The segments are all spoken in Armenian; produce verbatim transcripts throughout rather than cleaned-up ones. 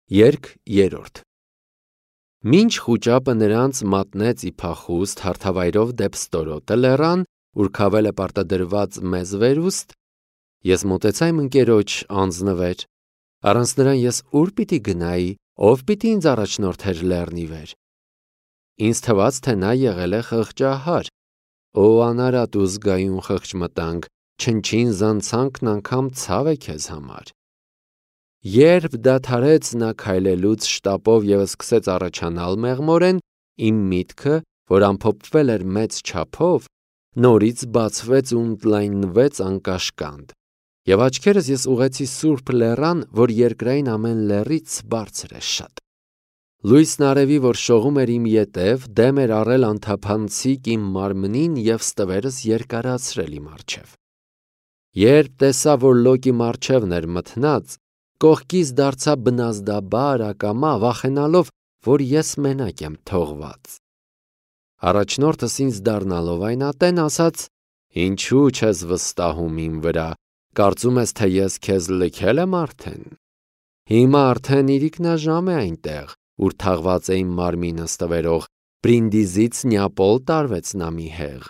Երգ երրորդ։ Մինչ խուճապը նրանց մատնեց ի փախուստ հարթավայրով դեպ ստորոտը լեռան, ուր քավելը պարտադրված մեզ վերուստ, ես մոտեցա իմ ընկերոջ անձնվեր, առանց նրան ես ուր պիտի գնայի, ով պիտի ինձ առաջնորդեր լեռնի վեր։ Ինձ թվաց, թե նա եղել է խղճահար, օ անարատ ու զգայուն խղճմտանք, չնչին զանցանքն անգամ ցավ է քեզ համար։ Երբ դադարեց նա քայլելուց շտապով և սկսեց առաջանալ մեղմորեն, իմ միտքը, որ ամփոփվել էր մեծ չափով, նորից բացվեց ու ընդլայնվեց անկաշկանդ, և աչքերս ես ուղղեցի սուրբ լեռան, որ երկրային ամեն լեռից բարձր է շատ։ Լույսն արևի, որ շողում էր իմ ետև, դեմ էր առել անթափանցիկ իմ մարմնին և ստվերս երկարացրել իմ առջև։ Երբ տեսա, որ լոկի առջևն էր մթնած, կողքից դարձա բնազդաբար ակամա, վախենալով, որ ես մենակ եմ թողված։ Առաջնորդս ինձ դառնալով այն ատեն ասաց. «Ինչու չես վստահում իմ վրա, կարծում ես, թե ես քեզ լքել եմ արդեն։ Հիմա արդեն իրիկնաժամ է այնտեղ, ուր թաղված է իմ մարմինը ստվերող, Բրինդիզից Նեապոլ տարվեց նա մի հեղ։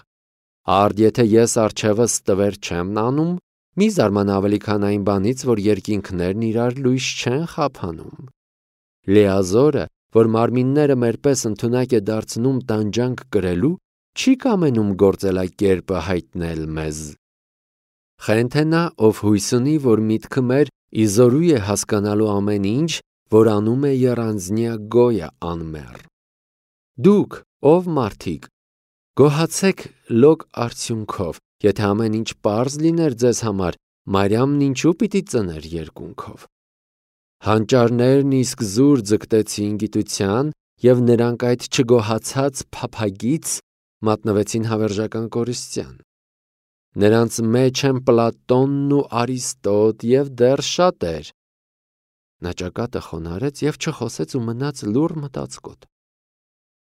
Արդ եթե ես առջևս ստվեր չեմ անում, մի զարմանա ավելի քան այն բանից, որ երկինքներն իրար լույս չեն խափանում։ Լիազորը, որ մարմինները մեր պես ընդունակ է դարձնում տանջանք կրելու, չի կամենում գործելակերպը հայտնել մեզ։ Խենթ է նա, ով հույս ունի, որ միտքը մեր իզորու է հասկանալու ամեն ինչ, որ անում է եռանձնյա գոյը անմեռ։ Դուք, ով մարդիկ, գոհացեք լոկ արդյունքով, եթե ամեն ինչ պարզ լիներ ձեզ համար, Մարիամն ինչու պիտի ծներ երկունքով։ Հանճարներն իսկ զուր ձգտեցին գիտության, և նրանք այդ չգոհացած փափագից մատնվեցին հավերժական կորստյան։ Նրանց մեջ են Պլատոնն ու Արիստոտ և դեռ շատեր։ Նա ճակատը խոնարհեց և չխոսեց ու մնաց լուռ մտածկոտ։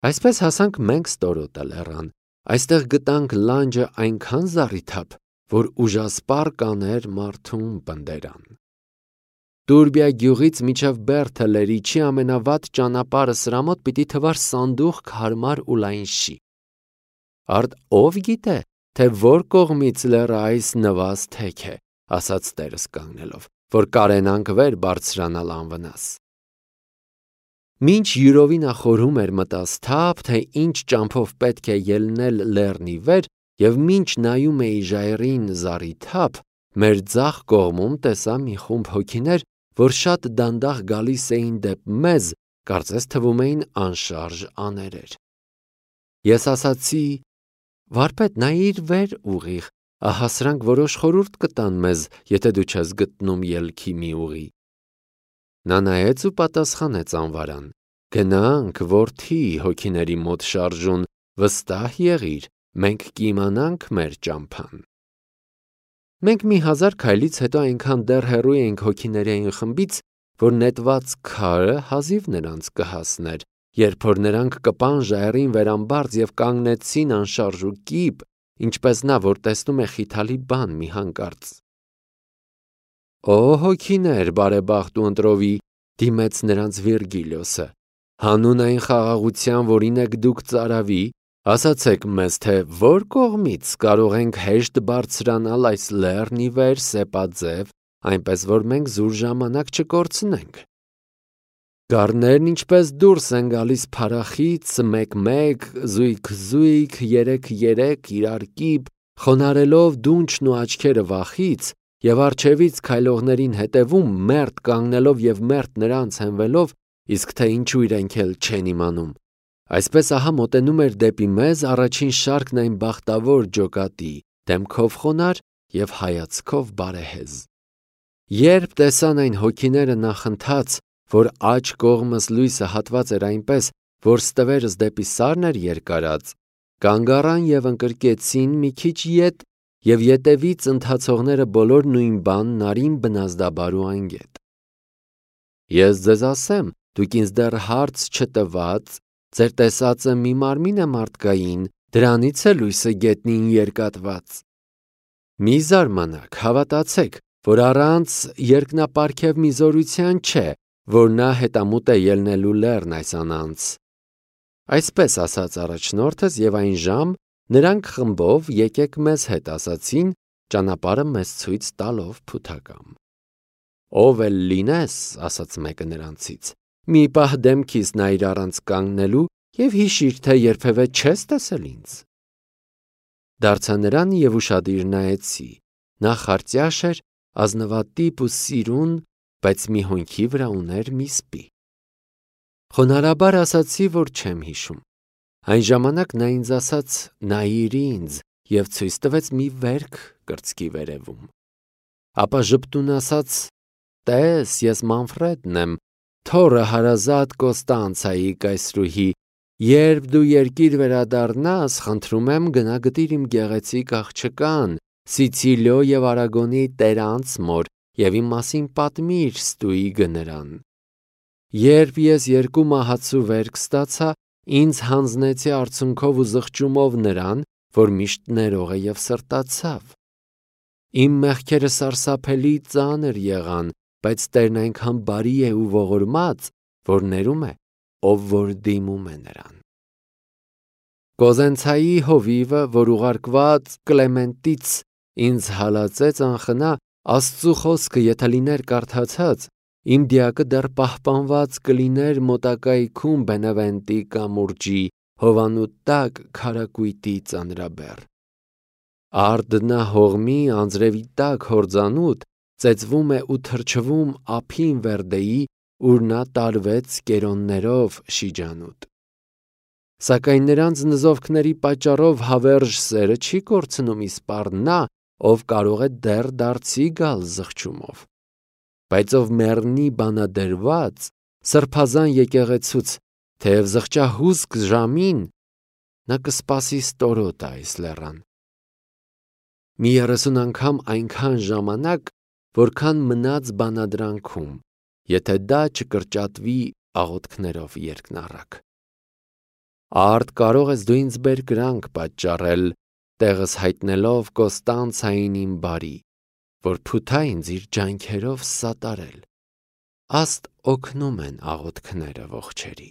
Այսպես հասանք մենք ստորոտը լեռան, այստեղ գտանք լանջը այնքան զառիթափ, որ ուժասպառ կաներ մարդուն պնդերան։ Տուրբիա գյուղից մինչև Բերթը լերիչի ամենավատ ճանապարհը սրա մոտ պիտի թվար սանդուղք հարմար ու լայն շի։ Արդ ով գիտե, թե որ կողմից լեռը այս նվազ թեք է, ասաց տերս կանգնելով, որ կարենանք վեր բարձրանալ անվնաս։ Մինչ յուրովի նա խորհում էր մտասթափ, թե ինչ ճամփով պետք է ելնել լեռնի վեր, և մինչ նայում էի ժայռին զառիթափ, մեր ձախ կողմում տեսա մի խումբ հոգիներ, որ շատ դանդաղ գալիս էին դեպ մեզ, կարծես թվում էին անշարժ աներեր։ Ես ասացի. «Վարպետ, նայիր վեր ուղիղ, ահա սրանք որոշ խորհուրդ կտան մեզ, եթե դու չես գտնում ելքի մի ուղի»։ Նա նայեց ու պատասխանեց անվարան. «Գնանք, որդի, հոգիների մոտ շարժուն, վստահ եղիր, մենք կիմանանք մեր ճամփան»։ Մենք մի հազար քայլից հետո այնքան դեռ հեռու էինք հոգիների այն խմբից, որ նետված քարը հազիվ նրանց կհասներ, երբ որ նրանք կպան ժայռին վերամբարձ և կանգնեցին անշարժ ու կիպ, ինչպես նա, որ տեսնում է խիթալի բան մի հանկարծ։ «Օ հոգիներ, բարեբախտ ու ընտրովի», դիմեց նրանց Վիրգիլիոսը, «հանուն այն խաղաղության, որին եք դուք ծարավի, ասացեք մեզ, թե որ կողմից կարող ենք հեշտ բարձրանալ այս լեռն ի վեր սեպաձև, այնպես որ մենք զուր ժամանակ չկորցնենք։ Գառներն ինչպես դուրս են գալիս փարախից, մեկ-մեկ, զույգ-զույգ, երեք-երեք, իրար կիպ, խոնարհելով դունչն ու աչքերը վախից, և առջևից քայլողներին հետևում, մերթ կանգնելով և մերթ նրանց հենվելով, իսկ թե ինչու իրենք էլ չեն իմանում։ Այսպես ահա մոտենում էր դեպի մեզ առաջին շարքն այն բախտավոր ջոկատի, դեմքով խոնարհ և հայացքով բարեհեզ։ Երբ տեսան այն հոգիները նախընթաց, որ աջ կողմս լույսը հատված էր այնպես, որ ստվերս դեպի սարն էր երկարած, կանգ առան և ընկրկեցին մի քիչ ետ, և ետևից ընթացողները բոլոր նույն բանն արին բնազդաբար ու անգետ։ Ես ձեզ ասեմ, դուք ինձ դեռ հարց չտված, ձեր տեսածը մի մարմին է մարդկային, դրանից է լույսը գետնին երկատված։ Մի զարմանաք, հավատացեք, որ առանց երկնապարգև մի զորության չէ, որ նա հետամուտ է ելնելու լեռն այս անանց։ Այսպես ասաց առաջնորդս, եւ այն ժամ նրանք խմբով եկեք մեզ հետ ասացին, ճանապարհը մեզ ցույց տալով փութակամ։ Ով էլ լինես, ասաց մեկը նրանցից, մի պահ դեմքիս նայիր առանց կանգնելու եւ հիշիր, թե երբևէ չես տեսել ինձ։ Դարձա նրան եւ ուշադիր նայեցի։ Նա խարծյաշ էր, ազնվատիպ ու սիրուն, բայց մի հոնքի վրա ուներ մի սպի։ Խոնարհաբար ասացի, որ չեմ հիշում։ Այն ժամանակ նա ինձ ասաց. նայիր ինձ եւ ցույց տվեց մի վերք կրծքի վերևում։ Ապա ժպտուն ասաց. տես, ես Մանֆրեդն եմ, թոռը հարազատ Կոստանցայի կայսրուհի, երբ դու երկիր վերադառնաս, խնդրում եմ գնա գտիր իմ գեղեցիկ աղջկան, Սիցիլիո եւ Արագոնի տերանց մոր եւ իմ մասին պատմիր ստուգի նրան։ Երբ ես երկու մահացու վերք ստացա, ինձ հանձնեցի արցունքով ու զղջումով նրան, որ միշտ ներող է եւ սրտացավ։ Իմ մեղքերը սարսափելի ծանր եղան, բայց Տերն այնքան բարի է ու ողորմած, որ ներում է, ով որ դիմում է նրան։ Կոզենցայի հովիվը, որ ուղարկված Կլեմենտից ինձ հալածեց անխնա, Աստծու խոսքը եթե լիներ կարդացած, իմ դիակը դեռ պահպանված կլիներ մոտակայքում Բենևենտի կամուրջի հովանու տակ քարակույտի ծանրաբեռ։ Արդնա հողմի անձրևի տակ հորձանուտ ծեծվում է ու թրջվում ափին Վերդեի, ուր նա տարվեց կերոններով շիջանուտ։ Սակայն նրանց նզովքների պատճառով հավերժ սերը չի կորցնում իսպառ նա, ով կարող է դեռ դարձի գալ զղջումով։ Բայց ով մեռնի բանադրված, սրբազան եկեղեցուց, թեև զղջահուսք ժամին, նա կսպասի ստորոտը այս լեռան։ Մի երեսուն անգամ այնքան ժամանակ, որքան մնաց բանադրանքում, եթե դա չկրճատվի աղոթքներով երկնառակ։ Արդ կարող ես դու ինձ բերկրանք պատճառել, տեղս հայտնելով Կոստանցային իմ բարի, որ փութա ինձ իր ջանքերով սատարել։ Աստ օգնում են աղոթքները ողջերի։